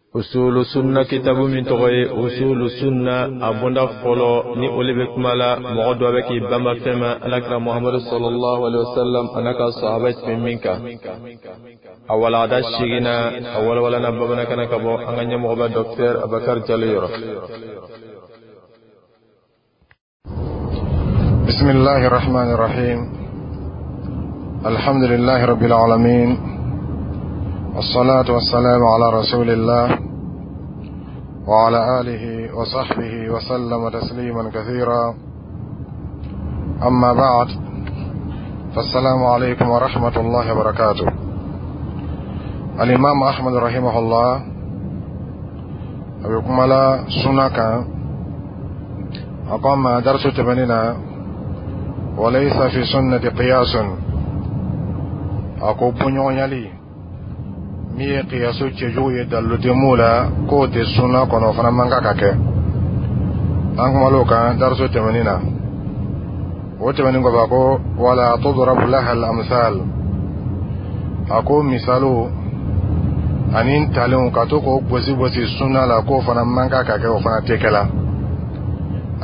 Usulu Sunna kitabu min tɔgɔ ye Usulu Sunna, a bonda fɔlɔ ni o le bɛ kuma la, mɔgɔ dɔ bɛ k'i banba fɛn ma, Alakira Muhamadu sallallahu alaihi wasallam a n'a ka sahaba tun bɛ min kan. A walada seginna, a walawalana bamanankan na ka bɔ an ka ɲɛmɔgɔba Docteur Abakar Jalo yɔrɔ. بسم الله الرحمن الرحيم. الحمد لله رب العالمين، والصلاة والسلام على رسول الله وعلى آله وصحبه وسلم تسليما كثيرا. أما بعد، فالسلام عليكم ورحمة الله وبركاته. الإمام أحمد رحمه الله a bɛ kuma la sunna kan. A ko an ma darisu tɛmɛnen na: وليس في السنة قياس. A ko bɔɲɔgɔnyali min ye kiyasu cɛjugu ye, dalilu tɛ mun la, k'o tɛ sunna kɔnɔ, o fana man kan ka kɛ. An kumal'o kan darisu tɛmɛnen na. O tɛmɛnen kɔfɛ, a ko: ولا تضرب لها الأمثال. A ko misaliw ani ntalenw, ka to k'o gosi gosi sunna la, k'o fana man kan ka kɛ, o fana tɛ kɛ la.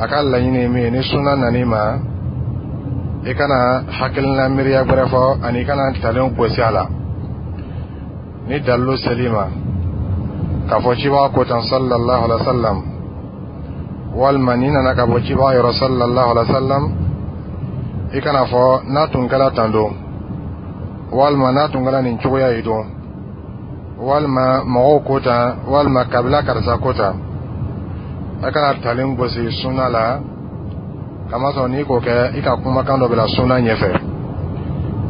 A ka laɲini ye min ye, ni sunna nan'i ma, i kana hakilina miiriya gbɛrɛ fɔ ani i kana ntalenw gosi a la. Ni dalilu sel'i ma k'a fɔ cibaga ko tan sallallahu alaihi wa sallam, walima ni nana ka bɔ cibaga yɔrɔ sallallahu alaihi wa sallam, i kana fɔ n'a tun kɛra tan don, walima n'a tun kɛra nin cogoya ye don, walima mɔgɔw ko tan, walima kabila karisa ko tan. A kana talen gosi sunna la, kamasɔrɔ n'i k'o kɛ, i ka kumakan dɔ bila sunna ɲɛfɛ.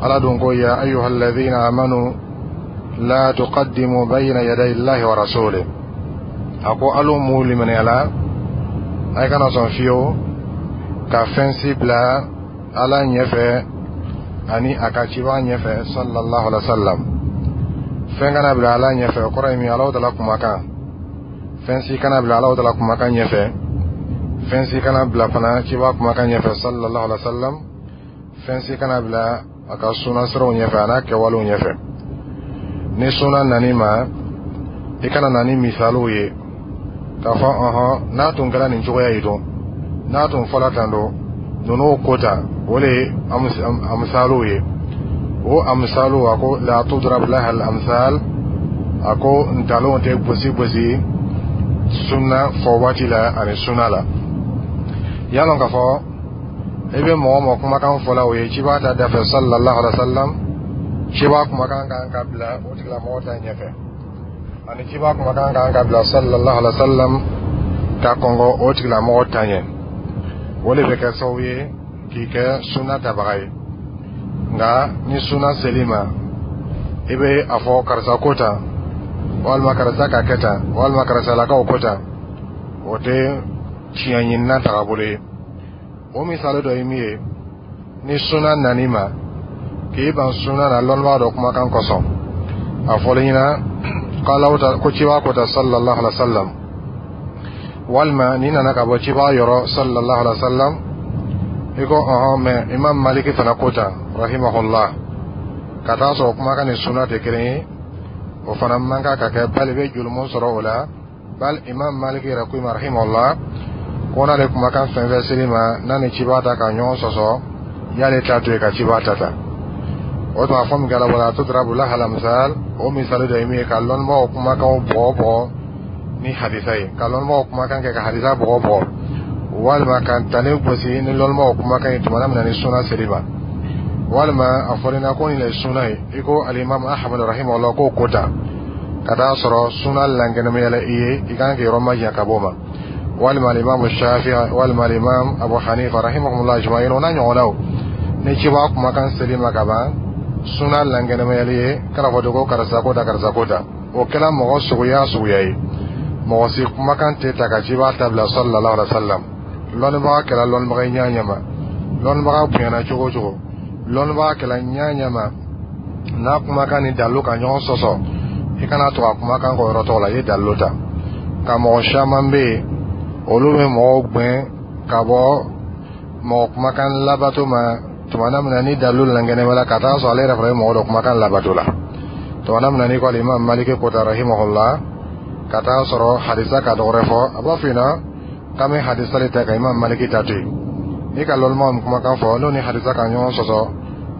Ala dun ko: يا أيها الذين آمنوا لا تقدموا بين يدي الله ورسوله. A ko alu mu limaniyala, a kana sɔn fiyewu ka fɛn si bila Ala ɲɛfɛ ani a ka ciba ɲɛfɛ sallallahu alaihi wa sallam. Fɛn kana bila Ala ɲɛfɛ, o kɔrɔ ye min ye? Ala tala kumakan, fɛn si kana bila Ala tala kumakan ɲɛfɛ. Fɛn si kana bila fana ciba kumakan ɲɛfɛ sallallahu alaihi wa sallam. Fɛn si kana bila a ka sunna siraw ɲɛfɛ, a n'a kɛwalew ɲɛfɛ. Ni sunna nan'i ma, i kana na ni misaliw ye k'a fɔ ɔhɔn, n'a tun kɛra nin cogoya ye don, n'a tun fɔla tan don, ninnu ko tan, o de ye amisaliw ye. O amisaliw, a ko: لا تضرب لها الأمثال. A ko ntalonw tɛ gosi gosi sunna fɔ waati la ani sunna la. Y'a lɔn k'a fɔ i bɛ mɔgɔ mɔgɔ kumakan fɔla, o ye ciba ta dafɛ sallallahu alaihi wa sallam, ciba kumakan kan ka bila o tigilamɔgɔ ta ɲɛfɛ, ani ciba kumakan kan ka bila sallallahu alaihi wa sallam ka kɔngɔ o tigilamɔgɔ ta ɲɛ. O de bɛ kɛ sababu ye k'i kɛ sunna tabaga ye. Nka ni sunna sel'i ma, i bɛ a fɔ karisa ko tan, walima karisa ka kɛ tan, walima karisalakaw ko tan, o tɛ tiɲɛ ɲinina tagabolo ye. O misali dɔ ye min ye, ni sunna nan'i ma k'i ban sunna na lɔnnibaga dɔ kumakan kosɔn, a fɔlen ɲɛna k'Alaw ta ko ciba ko ta sallallahu alaihi wa sallam, walima n'i nana ka bɔ ciba yɔrɔ sallallahu alaihi wa sallam, i ko ɔhɔn, mɛ Imam Maliki fana ko tan rahimahullah, ka taa sɔrɔ kumakan ni sunna tɛ kelen ye, o fana man kan ka kɛ, bali bɛ julumun sɔrɔ o la. Bali Imam Maliki yɛrɛ ko i ma rahimahullah ko n'ale kumakan fɛn fɛn seli ma, n'a ni ciba ta ka ɲɔgɔn sɔsɔ, y'ale ta to yen ka ciba ta ta. O tuma fɔ min kɛra ولا تضرب لها الأمثال, o misali dɔ ye min ye, ka lɔnnibagaw kumakanw bɔgɔ bɔgɔ ni hadisa ye, ka lɔnnibagaw kumakan kɛ ka hadisa bɔgɔ bɔgɔ, walima ka ntalen gosi ni lɔnnibagaw kumakan ye tuma min na ni sunna seli ma, walima a fɔra na ko nin le ye sunna ye, i ko Alimami Ahmad rahimahullah k'o ko ta, ka taa sɔrɔ sunna lankɛnɛmayala i ye, i kan k'i yɔrɔ majanya ka bɔ o ma, walima Alimami Shafi'i, walima Alimam Abu Hanifa rahimahumullah ajma'in, o n'a ɲɔgɔnnaw. Ni ciba kumakan seli ma ka ban, sunna lankɛnɛmayali ye, kana fɔ ko karisa ko ta, karisa ko ta. O kɛra mɔgɔ suguya suguya ye, mɔgɔ si kumakan tɛ ta ka ciba ta bila sallallahu alaihi wa sallam. Lɔnnibaga kɛra lɔnnibaga ye ɲɛ ɲɛ ma, lɔnnibaga bonyana cogo o cogo, lɔnnibaga kɛra ɲɛ ɲɛ ma, n'a kumakan ni dalilu ka ɲɔgɔn sɔsɔ, i kana to a kumakan kɔ yɔrɔ tɔgɔ la, i ye dalilu ta. Ka mɔgɔ caman bɛ yen, olu bɛ mɔgɔw gɛn ka bɔ mɔgɔ kumakan labato ma tuma min na ni dalilu lankɛnɛmala, ka taa sɔrɔ ale yɛrɛ fana bɛ mɔgɔ dɔ kumakan labato la. Tuma min na n'i ko Alimami Maliki ko ta rahimahullah. Ka taa sɔrɔ hadisa ka dɔ wɛrɛ fɔ, a b'a f'i ɲɛna k'an bɛ hadisa de ta ka Imam Maliki ta to yen. N'i ka lɔnnimaw min kumakan fɔ, n'o ni hadisa ka ɲɔgɔn sɔsɔ,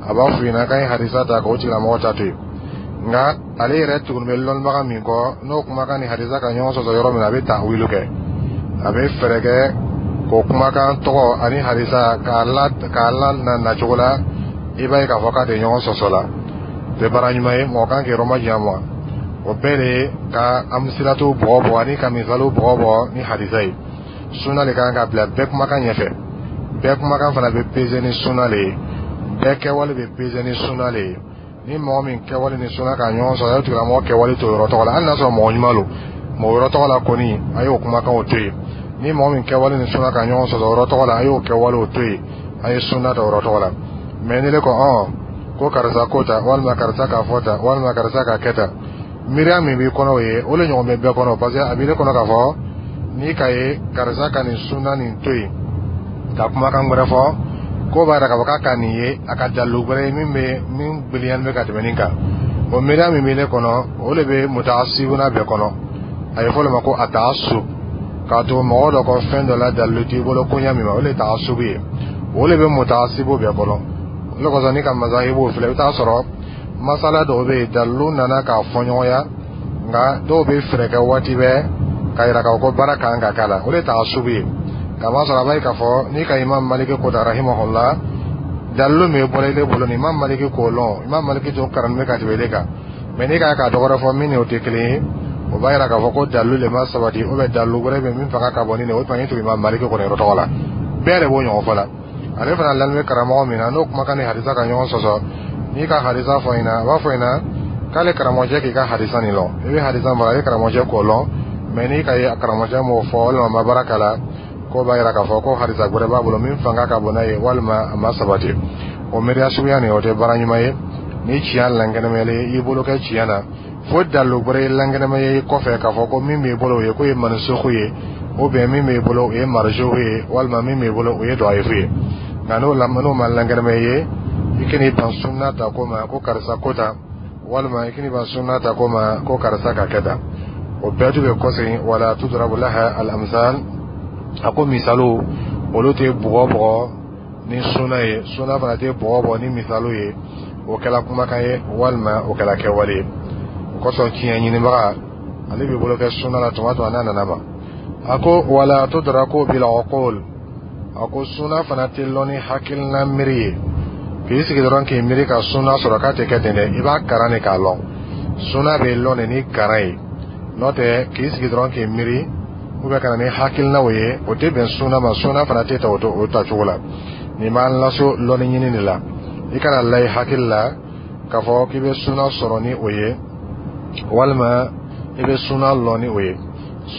a b'a f'i ɲɛna k'an ye hadisa ta k'o tigilamɔgɔ ta to yen. Nka ale yɛrɛ tuguni bɛ lɔnnibaga min kɔ, n'o kumakan ni hadisa ka ɲɔgɔn sɔsɔ yɔrɔ min na, a bɛ tawilu kɛ, a bɛ fɛɛrɛ kɛ k'o kumakan tɔgɔ ani hadisa k'a la na nacogo la, i b'a ye k'a fɔ k'a tɛ ɲɔgɔn sɔsɔ la. O tɛ baara ɲuman ye, mɔgɔ kan k'i yɔrɔ majanya ma. O bɛɛ de ye ka amsilatu bɔgɔ bɔgɔ ani ka misaliw bɔgɔ bɔgɔ ni hadisa ye. Sunna de kan ka bila bɛɛ kumakan ɲɛfɛ. Bɛɛ kumakan fana bɛ peze ni sunna le ye, bɛɛ kɛwale bɛ peze ni sunna le ye. Ni mɔgɔ min kɛwale ni sunna ka ɲɔgɔn sɔrɔ, a y'o tigilamɔgɔ kɛwale to yɔrɔ tɔgɔ la, hali n'a sɔrɔ mɔgɔ ɲuman don mɔgɔ yɔrɔ tɔgɔ la kɔni, a y'o kumakanw to yen. Ni mɔgɔ min kɛwale ni sunna ka ɲɔgɔn sɔsɔ yɔrɔ tɔgɔ la, a y'o kɛwalew to yen, a ye sunna ta yɔrɔ tɔgɔ la. Mɛ ni ne ko ko karisa ko ta, walima karisa k'a fɔ ta, walima karisa k'a kɛ ta, miiriya min b'i kɔnɔ, o ye o le ɲɔgɔn bɛ bɛɛ kɔnɔ, parce que a b'i kɔnɔ k'a fɔ n'i ka ye karisa ka nin sunna nin to yen ka kumakan wɛrɛ fɔ, k'o b'a yira k'a fɔ k'a ka nin ye a ka dalilu wɛrɛ ye min bɛ min gbiliyani bɛ ka tɛmɛ nin kan. O miiriya min bɛ ne kɔnɔ, o de bɛ mutaasibuna bɛɛ kɔnɔ. A ye fɔ o de ma ko a taasub, k'a to mɔgɔ dɔ kɔ fɛn dɔ la, dalilu t'i bolo koɲa min ma, o de ye taasubu ye. O de bɛ mutaasibu bɛɛ kɔnɔ. O de kosɔn, n'i ka mazahibu filɛ, i bɛ taa sɔrɔ masala dɔw bɛ yen, dalilu nana k'a fɔ ɲɔgɔnya, nka dɔw bɛ fɛɛrɛ kɛ waati bɛɛ k'a yira k'a fɔ ko baara kan ka k'a la. O de ye taasubu ye. Kamasɔrɔ a b'a ye k'a fɔ n'i ka Imam Maliki ko ta rahimahullah, dalilu min bɔra ile bolo ni Imam Maliki k'o lɔn, Imam Maliki tun karanni bɛ ka tɛmɛ ile kan, mɛ n'i k'a dɔ wɛrɛ fɔ min ni o tɛ kelen ye, o b'a yira k'a fɔ ko dalilu le ma sabati, ou bien dalilu wɛrɛ bɛ min fanga ka bon ni nin ye. O tuma i tugu Imam Maliki kɔni yɔrɔ tɔgɔ la, bɛɛ de b'o ɲɔgɔn fɔ la. Ale fana lani bɛ karamɔgɔ min na, n'o kumakan ni hadisa ka ɲɔgɔn sɔsɔ, n'i ka hadisa fɔ ɲɛna, a b'a fɔ ɲɛna k'ale karamɔgɔcɛ k'i ka hadisa nin lɔn. I bɛ hadisa mara, ale karamɔgɔcɛ k'o lɔn, mɛ n'i ka ye karamɔgɔcɛ m'o fɔ walima a ma baara k'a la, k'o b'a yira k'a fɔ ko hadisa wɛrɛ b'a bolo min fanga ka bon n'a ye, walima a ma sabati. O miiriya suguya nin, o tɛ baara ɲuman ye. Ni tiɲɛ lankɛnɛmayalen, i bolo kɛ tiɲɛ na, fo dalilu wɛrɛ ye lankɛnɛma ye kɔfɛ k'a fɔ ko min b'i bolo, o ye k'o ye mansuhu ye, ou bien min b'i bolo, o ye marjuhu ye, walima min b'i bolo, o ye dɔyifu ye. Nka n'o ma lankɛnɛma ye, i kan'i ban sunna ta ko ma ko karisa ko ta, walima i kan'i ban sunna ta ko ma ko karisa ka kɛ tan. O bɛɛ tun bɛ kɔsegin. Wala tudrabu laha al amsal. A ko misaliw, olu tɛ bugɔ bugɔ ni sunna ye, sunna fana tɛ bugɔ bɔ ni misaliw ye. O kɛla kumakan ye walima o kɛla kɛwale ye. O kosɔn, tiɲɛ ɲinibaga, ale b'i bolo kɛ sunna la tuma tuma n'a nana ma. A ko wala tudraku bil uqul. A ko sunna fana tɛ lɔn ni hakilina miiri ye, k'i sigi dɔrɔn k'i miiri ka sunna sɔrɔ, k'a tɛ kɛ ten dɛ. I b'a karan de k'a lɔn. Sunna bɛ lɔn de ni karan ye. N'o tɛ, k'i sigi dɔrɔn k'i miiri ou bien ka na ni hakilinaw ye, o tɛ bɛn sunna ma. Sunna fana tɛ ta o tacogo la. Nin b'an laso lɔnni ɲini de la. I kana la i hakili la k'a fɔ k'i bɛ sunna sɔrɔ ni o ye, walima i bɛ sunna lɔn ni o ye.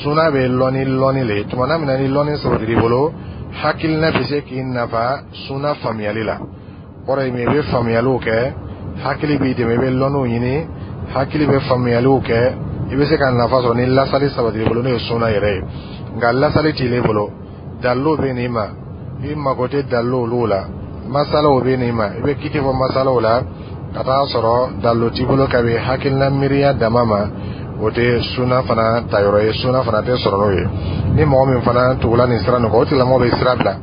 Sunna bɛ lɔn ni lɔnni le ye. Tuma na min na ni lɔnni sabatira i bolo, hakilina bɛ se k'i nafa sunna faamuyali la. Kɔrɔ ye min ye, i bɛ faamuyaliw kɛ, hakili b'i dɛmɛ, i bɛ lɔnniw ɲini, hakili bɛ faamuyaliw kɛ, i bɛ se ka nafa sɔrɔ ni lasali sabatira i bolo, n'o ye sunna yɛrɛ ye. Nka lasali t'i bolo, dalilu bɛ n'i ma, i mago tɛ dalilu olu la. Masalaw bɛ n'i ma, i bɛ kiti fɔ masalaw la, ka taa sɔrɔ dalilu t'i bolo ka bɛn hakilina miiriya dama ma, o tɛ sunna fana tayɔrɔ ye, sunna fana tɛ sɔrɔ n'o ye. Ni mɔgɔ min fana tugula nin sira nin kɔ, o tigilamɔgɔ bɛ sira bila,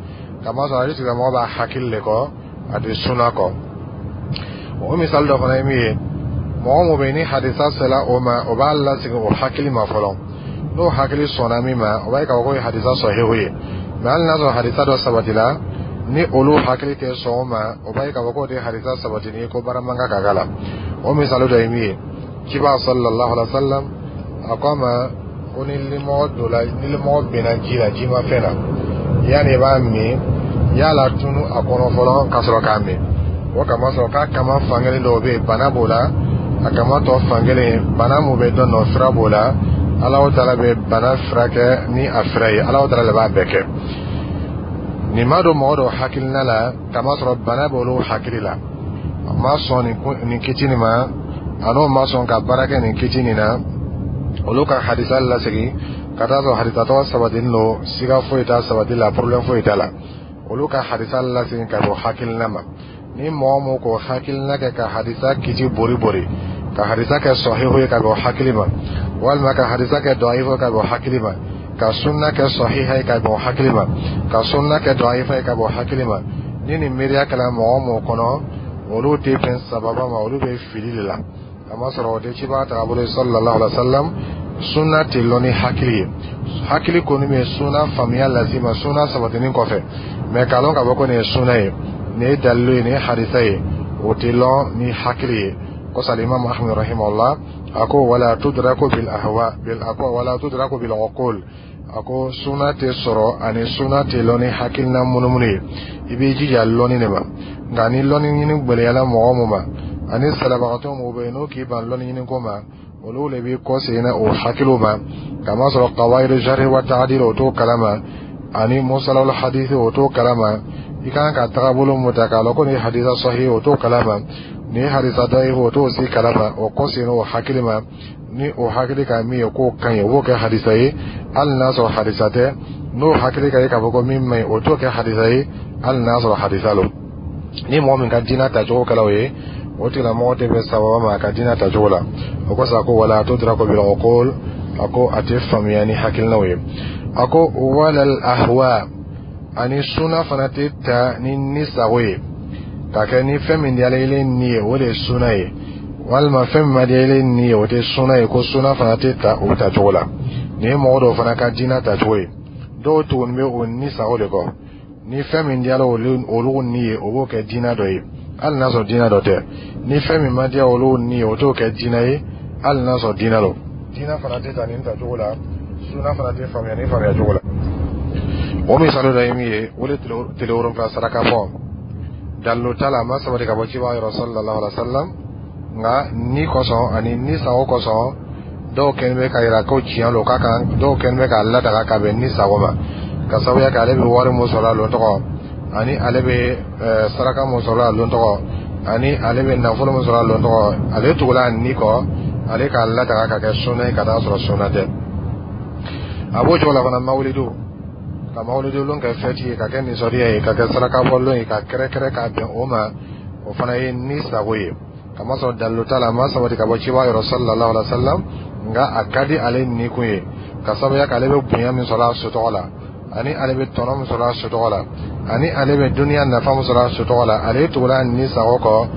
kamasɔrɔ ale tigilamɔgɔ b'a hakili de kɔ, a tɛ sunna kɔ. O misali dɔ fana ye min ye, mɔgɔ mun bɛ yen ni hadisa sera o ma, o b'a lasegin o hakili ma fɔlɔ. N'o hakili sɔnna min ma, o b'a ye k'a fɔ k'o ye hadisa sɔhihu ye. Mɛ hali n'a sɔrɔ hadisa dɔ sabatila, ni olu hakili tɛ sɔn o ma, o b'a ye k'a fɔ k'o tɛ hadisa sabatini ye, ko baara man kan ka k'a la. O misali dɔ ye min ye, ciba sallallahu alaihi wa sallam a ko a ma ko ni limɔgɔ donna, ni limɔgɔ binna ji la, ji ma fɛn na, yanni i b'a min, y'a la tunu a kɔnɔ fɔlɔ ka sɔrɔ k'a min. O kama sɔrɔ k'a kama fankelen dɔw bɛ yen, bana b'o la, a kama tɔ fankelen, bana mun bɛ dɔ nɔ, fura b'o la. Alahu taala bɛ bana furakɛ ni a fura ye, Alahu taala de b'a bɛɛ kɛ. Nin ma don mɔgɔ dɔw hakilina la, kamasɔrɔ bana b'olu hakili la, a ma sɔn nin kiti nin ma, a n'o ma sɔn ka baara kɛ nin kiti nin na. Olu ka hadisa lasegin ka taa sɔrɔ hadisa tɔgɔ sabatinin don, siga foyi t'a sabati la, problème foyi t'a la. Olu ka hadisa lasegin ka bɔ hakilina ma. Ni mɔgɔ mun k'o hakilina kɛ ka hadisa kiti bori bori, ka hadisa kɛ sɔhihu ye ka bɔ hakili ma, Walima ka hadisa kɛ dɔyifa ka bɛn hakili ma, ka sunna kɛ sahiha ye ka bɛn hakili ma, ka sunna kɛ dɔyifa ye ka bɛn hakili ma. Ni nin miiriya kɛla mɔgɔ o mɔgɔ kɔnɔ, olu tɛ bɛn sababa ma, olu bɛ fili de la. Kamasɔrɔ o tɛ cibaga tagabolo ye sallallahu alaihi wa sallam. Sunna tɛ lɔn ni hakili ye. Hakili kɔni bɛ sunna faamuya las'i ma sunna sabatinin kɔfɛ, mɛ k'a lɔn k'a fɔ ko nin ye sunna ye, nin ye dalilu ye, nin ye hadisa ye, o tɛ lɔn ni hakili ye. Kosɔn Alimami Ahmad rahimahullah a ko wala tudraku bil ahwa bil, a ko wala tudraku bil uqul. A ko sunna tɛ sɔrɔ ani sunna tɛ lɔn ni hakilina munumunu ye. I b'i jija lɔnni de ma. Nka ni lɔnni ɲini gbɛlɛyala mɔgɔ mun ma, ani salabagatɔ mɔgɔw bɛ yen n'o k'i ban lɔnni ɲini ko ma, olu le b'i kɔsegin na o hakiliw ma, kamasɔrɔ qawaidu jarhi wa ta'dil o t'o kalama, ani musalawul hadisi o t'o kalama. I kan ka tagabolo mun ta k'a lɔn ko nin ye hadisa sahih, o t'o kalama, nin ye hadisa dayif, o t'o si kalama. O kɔsegin o hakili ma, ni o hakili ka min ye k'o ka ɲi, o b'o kɛ hadisa ye hali n'a sɔrɔ hadisa tɛ. N'o hakili ka ye k'a fɔ ko min man ɲi, o t'o kɛ hadisa ye hali n'a sɔrɔ hadisa lo. Ni mɔgɔ min ka diinɛ tacogo kɛla o ye, o tigilamɔgɔ tɛ bɛn sababa ma a ka diinɛ tacogo la. O kosɔn a ko wala tudraku bil uqul. A ko a tɛ faamuya ni hakilinaw ye. A ko walal ahwa, ani suna fana tɛ ta ni ni sago ye, ka kɛ ni fɛn min diyala ile ni ye, o de ye suna ye, walima fɛn min ma diya ile ni ye, o tɛ suna ye. Ko suna fana tɛ ta o tacogo la. Nin ye mɔgɔ dɔw fana ka diinɛ tacogo ye. Dɔw tuguni bɛ o ni sago de kɔ. Ni fɛn min diyala olu ni ye, o b'o kɛ diinɛ dɔ ye hali n'a sɔrɔ diinɛ dɔ tɛ. Ni fɛn min ma diya olu ni ye, o t'o kɛ diinɛ ye hali n'a sɔrɔ diinɛ lo. Diinɛ fana tɛ ta nin tacogo la, suna fana tɛ faamuya ni faamuya cogo la. O misali dɔ ye min ye, o de tile 7 saraka bɔ. Dalilu t'a la, a ma sabati ka bɔ cibaga yɔrɔ sallallahu alaihi wa sallam. Nka ni kosɔn ani ni sago kosɔn, dɔw kɛlen bɛ ka yira ko tiɲɛ lo k'a kan, dɔw kɛlen bɛ k'a ladaga ka bɛn ni sago ma, ka sababuya kɛ ale bɛ wari mun sɔrɔ a lon tɔgɔ, ani ale bɛ saraka mun sɔrɔ a lon tɔgɔ, ani ale bɛ nafolo mun sɔrɔ a lon tɔgɔ. Ale tugula a ni kɔ, ale k'a ladaga ka kɛ sunna ye ka taa sɔrɔ sunna tɛ. A b'o cogo la fana mawulidu, ka mawulidu lon kɛ fɛti ye, ka kɛ nisɔndiya ye, ka kɛ saraka bɔ lon ye, ka kɛrɛkɛrɛ k'a bɛn o ma, o fana ye ni sago ye, kamasɔrɔ dalilu t'a la, a ma sabati ka bɔ ciba yɔrɔ sallallahu alaihi wa sallam. Nka a ka di ale ni kun ye, ka sababuya kɛ ale bɛ bonya min sɔrɔ a sotɔgɔ la, ani ale bɛ tɔnɔ min sɔrɔ a sotɔgɔ la, ani ale bɛ duniya nafa min sɔrɔ a sotɔgɔ la. Ale tugula ni sago kɔ,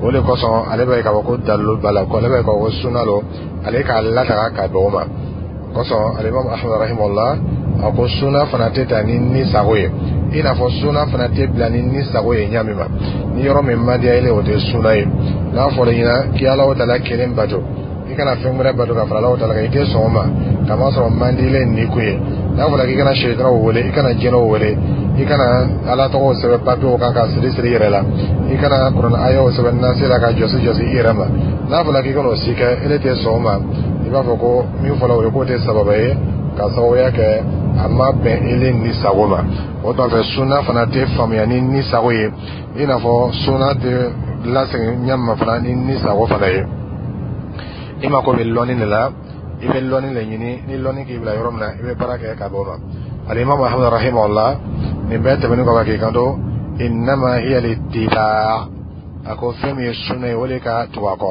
o de kosɔn ale bɛ k'a fɔ ko dalilu b'a la, ko ale bɛ k'a fɔ ko sunna lo, ale k'a lataga ka bɛn o ma. Kosɔn Alimami Ahmad rahimahullah a ko sunna fana tɛ ta ni ni sago ye, i n'a fɔ sunna fana tɛ bila ni ni sago ye ɲa min ma. Ni yɔrɔ min man diya ile, o tɛ sunna ye. N'a fɔra i ɲɛna k'i Alahu taala kelen bato, i kana fɛn wɛrɛ bato ka fara Alahu taala kan, i tɛ sɔn o ma, kamasɔrɔ man di ile ni kun ye. N'a fɔra k'i kana seyitanaw wele, i kana jinɛw wele, i kana Ala tɔgɔw sɛbɛn papiyew kan ka siri siri i yɛrɛ la, i kana kuranɛ ayaw sɛbɛn nasi la ka jɔsi jɔsi i yɛrɛ ma, n'a fɔra k'i kana o si kɛ, ele tɛ sɔn o ma. I b'a fɔ ko min fɔra o ye k'o tɛ sababa ye, ka sababuya kɛ a ma bɛn ele ni sago ma. O tuma fɛ sunna fana tɛ faamuya ni ni sago ye, i n'a fɔ sunna tɛ lasegin ɲɛ ma fana ni ni sago fana ye. I mako bɛ lɔnni de la, i bɛ lɔnni de ɲini. Ni lɔnni k'i bila yɔrɔ min na, i bɛ baara kɛ ka bɔ o ma. Alimami Ahmad rahimahullah nin bɛɛ tɛmɛnen kɔfɛ k'i kanto innama hiya littiba. A ko fɛn min ye sunna ye, o de ka tugu a kɔ.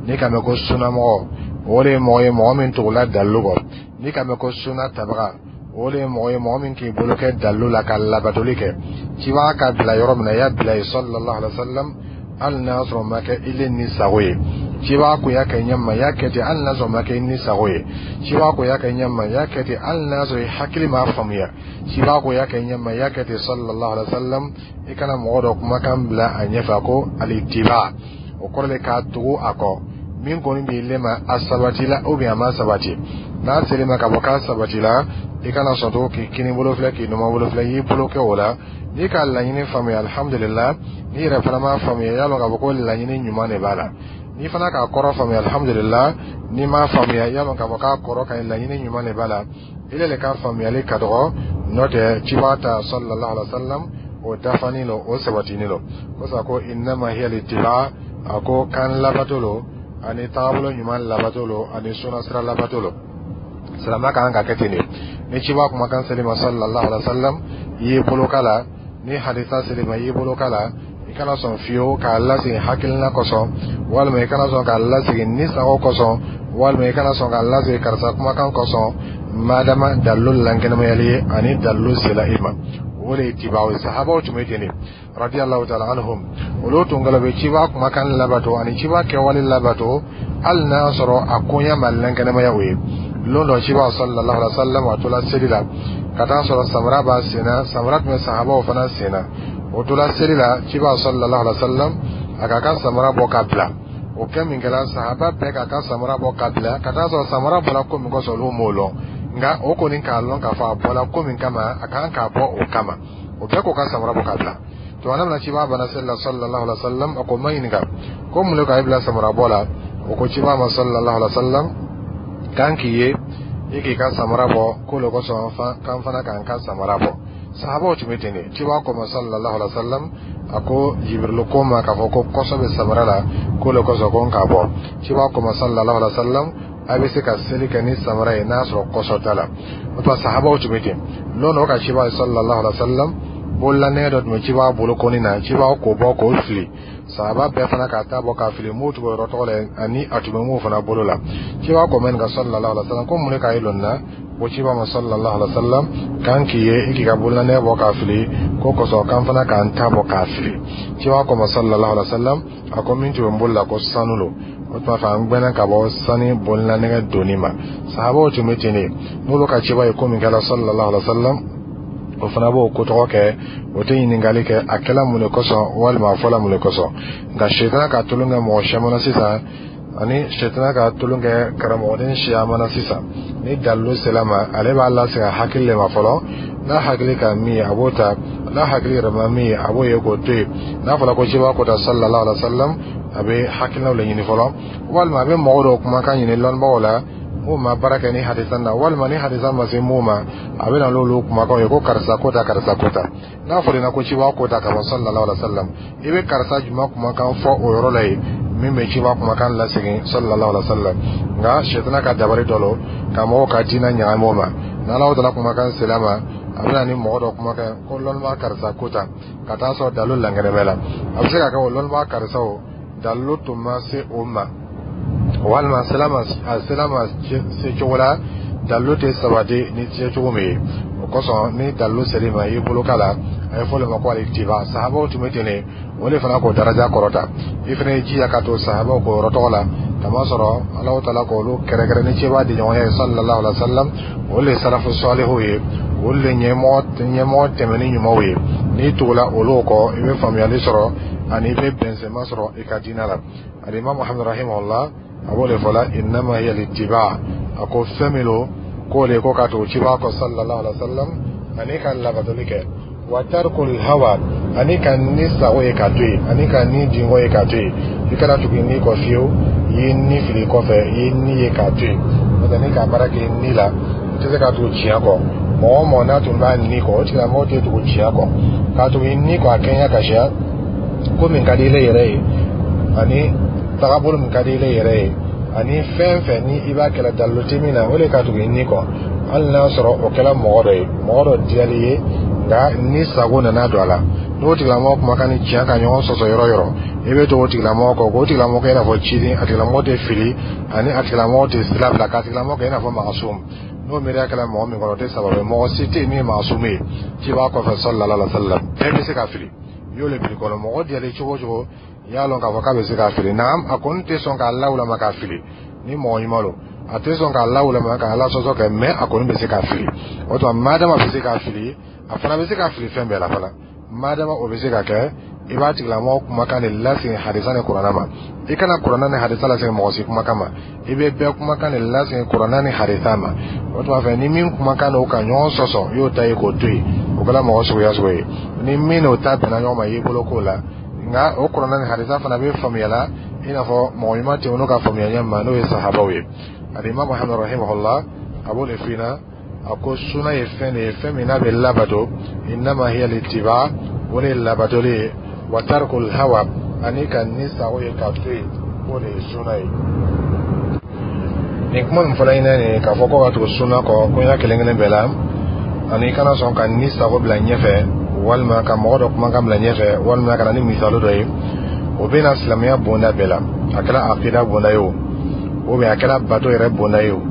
N'i ka mɛn ko sunnamɔgɔ, o de ye mɔgɔ ye, mɔgɔ min tugula dalilu kɔ. N'i ka mɛn ko sunna tabaga, o de ye mɔgɔ ye, mɔgɔ min k'i bolo kɛ dalilu la ka labatoli kɛ. Cibaga ka bila yɔrɔ min na, i y'a bila yen sallallahu alaihi wa sallam, hali n'a sɔrɔ ma kɛ ile ni sago ye. Cibaga ko y'a kɛ ɲɛ ma, i y'a kɛ ten hali n'a sɔrɔ ma kɛ i ni sago ye. Cibaga ko y'a kɛ ɲɛ ma, i y'a kɛ ten hali n'a sɔrɔ i hakili m'a faamuya. Cibaga ko y'a kɛ ɲɛ ma, i y'a kɛ ten sallallahu alaihi wa sallam. I kana mɔgɔ dɔ kumakan bila a ɲɛfɛ. A ko alitiba, o kɔrɔ de k'a tugu a kɔ. Min kɔni b'i le ma, a sabatila ou bien a ma sabati, n'a sera ma ka bɔ k'a sabatila, i kana sɔn to k'i kini bolo filɛ, k'i numan bolo filɛ, i y'i bolo kɛ o la. N'i ka laɲini faamuya, alhamdulillah. N'i yɛrɛ fana m'a faamuya, i y'a lɔn k'a fɔ ko laɲini ɲuman de b'a la. N'i fana k'a kɔrɔ faamuya, alhamdulillah. N'i m'a faamuya, i y'a lɔn k'a fɔ k'a kɔrɔ ka ɲi, laɲini ɲuman de b'a la. Ile le ka faamuyali ka dɔgɔ, n'o tɛ cibaga ta sallallahu alaihi wa sallam, o dafanin lo, o sabatinin lo. Ko sa ko innama hiya littiba. A ko kan labato lo, ani tagabolo ɲuman labato lo, ani sunna sira labato lo. Silamɛ ka kan ka kɛ ten de. Ni ciba kumakan seli ma sallallahu alaihi wa sallam, i y'i bolo k'a la. Ni hadisa seli ma, i y'i bolo k'a la. I kana sɔn fiyewu k'a lasegin hakilina kosɔn, walima i kana sɔn k'a lasegin ni sago kosɔn. Walima i kana sɔn k'a lasegin karisa kumakan kosɔn, madama dalilu lankɛnɛmayali ye ani dalilu sela i ma. O de ye itibaw ye. Sahabaw tun bɛ ten de, radiyallahu ta'ala anhum. Olu tun kɛlen bɛ ciba kumakan labato ani ciba kɛwale labato, hali n'a y'a sɔrɔ a koɲɛ ma lankɛnɛmaya o ye. Lon dɔ, ciba sallallahu alaihi wa sallam a tola seli la ka taa sɔrɔ samara b'a sen na. Samara tun bɛ sahabaw fana sen na. O tola seli la, ciba sallallahu alaihi wa sallam a k'a ka samara bɔ ka bila. O kɛ min kɛla, sahaba bɛɛ k'a ka samara bɔ ka bila, ka taa sɔrɔ samara bɔra ko min kosɔn, olu m'o lɔn. Nka o kɔni k'a lɔn k'a fɔ a bɔla ko min kama, a kan k'a bɔ o kama. O bɛɛ k'o ka samara bɔ ka bila. Tuma min na ciba bana seli la sallallahu alaihi wa sallam, a ko ma ɲininka ko mun de k'a bila samara bɔ la. O ko ciba ma sallallahu alaihi wa sallam k'an k'i ye i k'i ka samara bɔ, k'o le kosɔn k'an fana k'an ka samara bɔ. Sahabaw tun bɛ ten de. Ciba ko ma sallallahu alaihi wa sallam, a ko Jibirilu ko ma k'a fɔ ko kɔsɔ bɛ samara la, k'o le kosɔn ko n k'a bɔ. Ciba ko ma sallallahu alaihi wa sallam, a bɛ se ka seli kɛ ni samara ye n'a sɔrɔ kɔsɔ t'a la. O tuma, sahabaw tun bɛ ten. Lon dɔ ka ciba sallallahu alaihi wa sallam, bololanɛgɛ dɔ tun bɛ ciba bolo kɔni na. Ciba k'o bɔ k'o fili. Sahaba bɛɛ fana k'a ta bɔ k'a fili. M'o tugu yɔrɔ tɔgɔ la ani a tun bɛ mun fana bolo la. Ciba ko mɛn ka sallallahu alaihi wa sallam ko mun de k'a ye lon na? Ko ciba ma sallallahu alaihi wa sallam k'an k'i ye i k'i ka bololanɛgɛ bɔ k'a fili, ko kosɔn k'an fana k'an ta bɔ k'a fili. Ciba ko ma sallallahu alaihi wa sallam, a ko min tun bɛ n bolo la, ko sanu lo. O tuma fɛ, an gbɛnna ka bɔ sani bololanɛgɛ donni ma. Sahabaw tun bɛ ten de. N'olu ka ciba ye ko min kɛla sallallahu alaihi wa sallam, o fana b'o ko tɔgɔ kɛ. O tɛ ɲininkali kɛ a kɛla mun de kosɔn walima a fɔla mun de kosɔn. Nka sɛtana ka tolon kɛ mɔgɔ siyaman na sisan, ani sɛtana ka tolon kɛ karamɔgɔden siyaman na sisan, ni dalilu sela ma, ale b'a lasegin a hakili de ma fɔlɔ. N'a hakili ka min ye, a b'o ta. N'a hakili yɛrɛ ma min ye, a b'o ye k'o to yen. N'a fɔra ko ciba ko ta sallallahu alaihi wa sallam, a bɛ hakilinaw de ɲini fɔlɔ, walima a bɛ mɔgɔ dɔw kumakan ɲini lɔnnibagaw la mun ma baara kɛ ni hadisa na, walima ni hadisa ma se mun ma, a bɛ na n'olu kumakanw ye ko karisa ko ta, karisa ko ta. N'a fɔra i ko ciba ko ta ka bɔ sallallahu alaihi wa sallam, i bɛ karisa jumɛn kumakan fɔ o yɔrɔ la yen min bɛ ciba kumakan lasegin sallallahu alaihi wa sallam? Nka sɛtana ka dabari dɔ lo ka mɔgɔw ka diinɛ ɲagami o ma. N'Ala taala kumakan sela ma, a bɛ na ni mɔgɔ dɔ kumakan ko lɔnnibaa karisa ko ta, ka taa sɔrɔ dalilu lankɛnɛ bɛ la. A bɛ se ka kɛ o lɔnnibaa karisa, o dalilu tun ma se o ma, walima a sela ma se cogo la dalilu tɛ sabati ni se cogo min ye. O kosɔn, ni dalilu ser'i ma, i bolo k'a la, a ye fɔ o de ma ko alitiba. Sahabaw tun bɛ ten de. O de fana k'o daraja kɔrɔta. I fana ye jija ka to sahabaw k'o yɔrɔ tɔgɔ la, kamasɔrɔ Alahu taala k'olu kɛrɛkɛrɛ ni cɛba di ɲɔgɔn ye sallallahu alaihi wa sallam. Olu de salafu salihu ye, olu de ɲɛmɔgɔ tɛmɛni ɲumanw ye. N'i tugula olu kɔ, i bɛ faamuyali sɔrɔ ani i bɛ bɛnsɛnma sɔrɔ i ka diinɛ la. Alimami Muhamadu rahimahullah, a b'o de fɔ la innama hiya littiba. A ko fɛn min don, k'o de ko ka tugu ciba kɔ sallallahu alaihi wa sallam ani ka labatoli kɛ, wa tarkul hawa, ani ka ni sago ye k'a to yen, ani ka ni dingo ye k'a to yen. I kana tugu i ni kɔ fiyewu. I ye ni fili kɔfɛ, i ye ni ye k'a to yen. N'o tɛ, ni ka baara kɛ ni la, i tɛ se ka tugu tiɲɛ kɔ. Mɔgɔ o mɔgɔ n'a tun b'a ni kɔ, o tigilamɔgɔ tɛ tugu tiɲɛ kɔ. K'a tugu i ni kɔ, a kɛɲɛ ka siya ko min ka di ile yɛrɛ ye, ani tagabolo min ka di ile yɛrɛ ye, ani fɛn fɛn ni i b'a kɛlɛ dalilu tɛ min na, o de ka tugu i ni kɔ. Hali n'a sɔrɔ o kɛla mɔgɔ dɔ ye, mɔgɔ dɔ diyali ye, nka ni sago nana don a la, n'o tigilamɔgɔ kumakan ni tiɲɛ ka ɲɔgɔn sɔsɔ yɔrɔ yɔrɔ, i bɛ to o tigilamɔgɔ kɔ, k'o tigilamɔgɔ kɛ i n'a fɔ ciden. A tigilamɔgɔ tɛ fili ani a tigilamɔgɔ tɛ sira bila, k'a tigilamɔgɔ kɛ i n'a fɔ maasum. N'o miiriya kɛla mɔgɔ min kɔnɔ, o tɛ sababu ye. Mɔgɔ si tɛ yen min ye maasum ye ciba kɔfɛ sallallahu alaihi wa sallam. Bɛɛ bɛ se ka fili. I y'o le bili kɔnɔ. Mɔgɔ diyalen cogo o cogo, i y'a lɔn k'a fɔ k'a bɛ se k'a fili. Naam, a kɔni tɛ sɔn k'a lawulama k'a fili. Ni mɔgɔ ɲuman don, a tɛ sɔn k'a lawulama k'a ala sɔsɔ kɛ, mɛ a kɔni bɛ se k'a fili. O tuma, madama bɛ se k'a fili, a fana bɛ se ka fili fɛn bɛɛ la fana. Madama o bɛ se ka kɛ, i b'a tigilamɔgɔ kumakan de lasegin hadisa ni kuranna ma. I kana kuranna ni hadisa lasegin mɔgɔ si kumakan ma. I bɛ bɛɛ kumakan de lasegin kuranna ni hadisa ma. O tuma fɛ, ni min kumakan n'o ka ɲɔgɔn sɔsɔ, i y'o ta ye k'o to yen. O kɛra mɔgɔ suguya sugu ye, ni min n'o ta bɛnna ɲɔgɔn ma, i y'i bolo k'o la. Nka o kuranna ni hadisa fana bɛ faamuya la i n'a fɔ mɔgɔ ɲuman tɛmɛn'u ka faamuya ɲɛ ma, n'o ye sahabaw ye. Alimami Muhamadu rahimahullah, a b'o de f'i ɲɛna. A ko suna ye fɛn de ye, fɛn min n'a bɛ labato. Innama hiya littiba, o de ye labatoli ye, wa tarkul hawa, ani ka ni sago ye k'a to yen, k'o de ye suna ye. Nin kuma min fɔla ɲinɛ nin ye, k'a fɔ ko ka tugu suna kɔ koɲa kelen kelen bɛɛ la, ani i kana sɔn ka ni sago bila ɲɛfɛ, walima ka mɔgɔ dɔ kumakan bila ɲɛfɛ, walima ka na ni misali dɔ ye, o bɛ na silamɛya bonda bɛɛ la. A kɛra akida bonda ye o. Ou bien a kɛra bato yɛrɛ bonda ye o,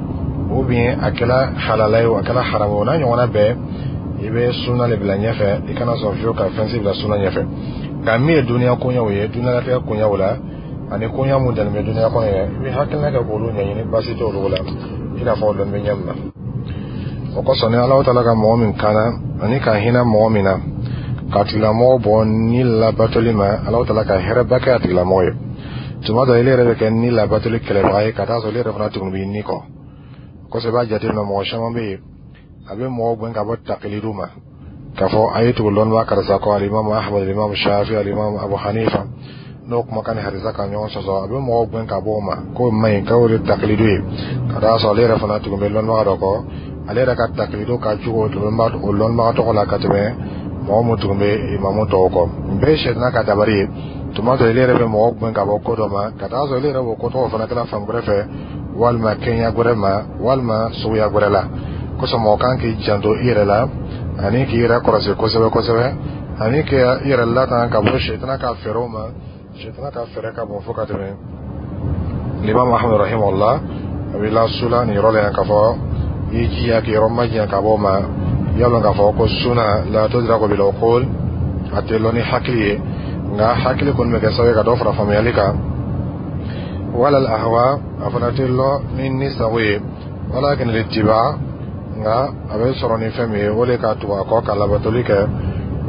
ou bien a kɛra halala ye o, a kɛra haramu o, n'a ɲɔgɔnna bɛɛ, i bɛ sunna le bila ɲɛfɛ. I kana sɔn fiyewu ka fɛn si bila sunna ɲɛfɛ. Nka min ye duniya koɲɛw ye, duniɲalatigɛ koɲɛw la, ani koɲɛ mun dalen bɛ duniya kɔnɔ yɛrɛ, i bɛ hakilina kɛ k'olu ɲɛɲini, baasi t'olu la, i n'a fɔ o lɔnni bɛ ɲɛ min na. O kosɔn, ni Alahu Taala ka mɔgɔ min kana ani ka hinɛ mɔgɔ min na k'a tigilamɔgɔ bɔ ni labatoli ma, Alahu Taala ka hɛrɛba kɛ a tigilamɔgɔ ye. Tuma dɔ, ile yɛrɛ bɛ kɛ ni labatoli kɛlɛbaga ye, ka taa sɔrɔ ile yɛrɛ fana tuguni b'i ni kɔ kosɛbɛ. I b'a jateminɛ, mɔgɔ caman bɛ yen, a bɛ mɔgɔw gɛn ka bɔ takilidu ma, k'a fɔ a ye tugu lɔnniba karisa kɔ, Alimamu Ahmad, Alimamu Shafi, Alimamu Abu Hanifa, n'o kumakan ni hadisa ka ɲɔgɔn sɔsɔ, a bɛ mɔgɔw gɛn ka bɔ o ma k'o man ɲi, k'o de takilidu ye, ka taa sɔrɔ ale yɛrɛ fana tugun bɛ lɔnnibaga dɔ kɔ. Ale yɛrɛ ka takilidu ka jugu o lɔnnibaga tɔgɔ la ka tɛmɛ mɔgɔ mun tugun bɛ imamu tɔw kɔ. Nin bɛɛ ye sɛtana ka dabali ye. Tuma dɔ, ile yɛrɛ bɛ mɔgɔw gɛn ka bɔ ko dɔ ma, ka taa sɔrɔ ile yɛrɛ b'o ko tɔgɔ fana kɛla fan wɛrɛ fɛ, walima kɛɲɛ wɛrɛ ma, walima suguya wɛrɛ la. Kosɔn, mɔgɔ kan k'i janto i yɛrɛ la ani k'i yɛrɛ kɔlɔsi kosɛbɛ kosɛbɛ, ani k'i yɛrɛ latanga ka bɔ sɛtana ka fɛɛrɛw ma. Sɛtana ka fɛɛrɛ ka bon fo ka tɛmɛ. L'imam Ahmad rahimahullah a b'i lasula nin yɔrɔ la yan k'a fɔ i jija k'i yɔrɔ majanya ka bɔ o ma. I y'a lɔn k'a fɔ ko suna la tudraku bil uqul, a tɛ lɔn ni hakili ye, nka hakili kɔni bɛ kɛ sababu ye ka dɔ fara faamuyali kan. Wala al ahwa, a fana tɛ lɔn ni ni sago ye. Walakin littiba, nka a bɛ sɔrɔ ni fɛn min ye, o de ka tugu a kɔ ka labatoli kɛ.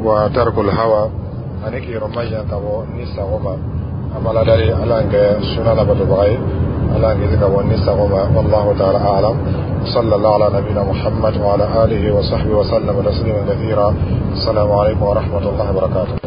Wa tarkul hawa, ani k'i yɔrɔ majanya ka bɔ ni sago ma. An b'Ala dali, Ala k'an kɛ suna labatobaga ye, Ala k'an kisi ka bɔ ni sago ma. Wallahu ta'ala a'lam. Sallallahu ala nabina Muhammad wa ala alihi wa sahbihi wa sallam taslima kathira. Assalamu alaikum wa rahmatullahi wa barakatuh.